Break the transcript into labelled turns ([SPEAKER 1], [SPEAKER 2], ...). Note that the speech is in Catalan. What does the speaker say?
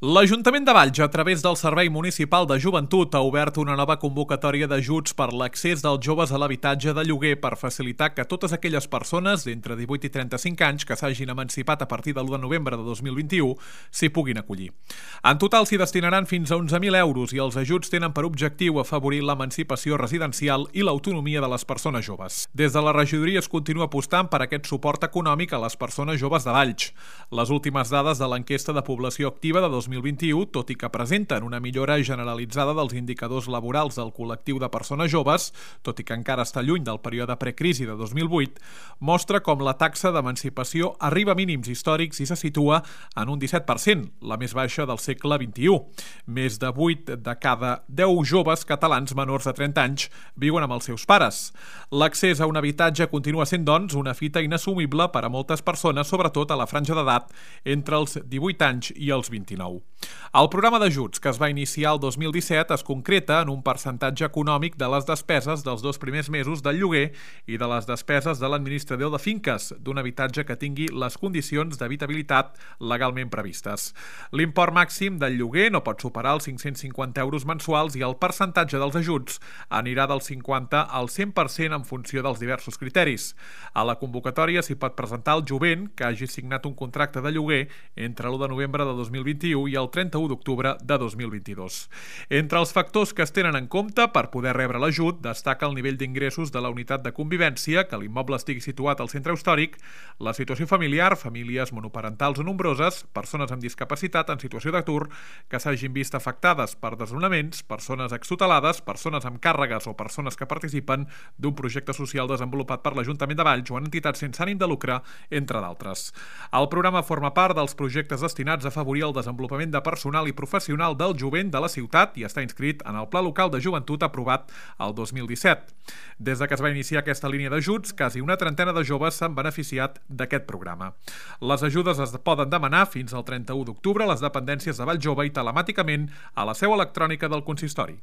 [SPEAKER 1] L'Ajuntament de Valls, a través del Servei Municipal de Joventut, ha obert una nova convocatòria d'ajuts per l'accés dels joves a l'habitatge de lloguer per facilitar que totes aquelles persones d'entre 18 i 35 anys que s'hagin emancipat a partir de l'1 de novembre de 2021 s'hi puguin acollir. En total s'hi destinaran fins a 11.000 euros i els ajuts tenen per objectiu afavorir l'emancipació residencial i l'autonomia de les persones joves. Des de la regidoria es continua apostant per aquest suport econòmic a les persones joves de Valls. Les últimes dades de l'enquesta de població activa de 2021, tot i que presenten una millora generalitzada dels indicadors laborals del col·lectiu de persones joves, tot i que encara està lluny del període precrisi de 2008, mostra com la taxa d'emancipació arriba a mínims històrics i se situa en un 17%, la més baixa del segle XXI. Més de 8 de cada 10 joves catalans menors de 30 anys viuen amb els seus pares. L'accés a un habitatge continua sent, doncs, una fita inassumible per a moltes persones, sobretot a la franja d'edat entre els 18 anys i els 29. El programa d'ajuts, que es va iniciar el 2017, es concreta en un percentatge econòmic de les despeses dels 2 primers mesos del lloguer i de les despeses de l'administrador de finques d'un habitatge que tingui les condicions d'habitabilitat legalment previstes. L'import màxim del lloguer no pot superar els 550 euros mensuals i el percentatge dels ajuts anirà del 50 al 100% en funció dels diversos criteris. A la convocatòria s'hi pot presentar el jovent que hagi signat un contracte de lloguer entre l'1 de novembre de 2021 i el 31 d'octubre de 2022. Entre els factors que es tenen en compte per poder rebre l'ajut destaca el nivell d'ingressos de la unitat de convivència, que l'immoble estigui situat al centre històric, la situació familiar, famílies monoparentals o nombroses, persones amb discapacitat en situació d'atur, que s'hagin vist afectades per desnonaments, persones extutelades, persones amb càrregues o persones que participen d'un projecte social desenvolupat per l'Ajuntament de Valls o en entitats sense ànim de lucre, entre d'altres. El programa forma part dels projectes destinats a afavorir el desenvolupament de personal i professional del jovent de la ciutat i està inscrit en el Pla Local de Joventut aprovat el 2017. Des de que es va iniciar aquesta línia d'ajuts, quasi una trentena de joves s'han beneficiat d'aquest programa. Les ajudes es poden demanar fins al 31 d'octubre a les dependències de Valls Jove i telemàticament a la seu electrònica del consistori.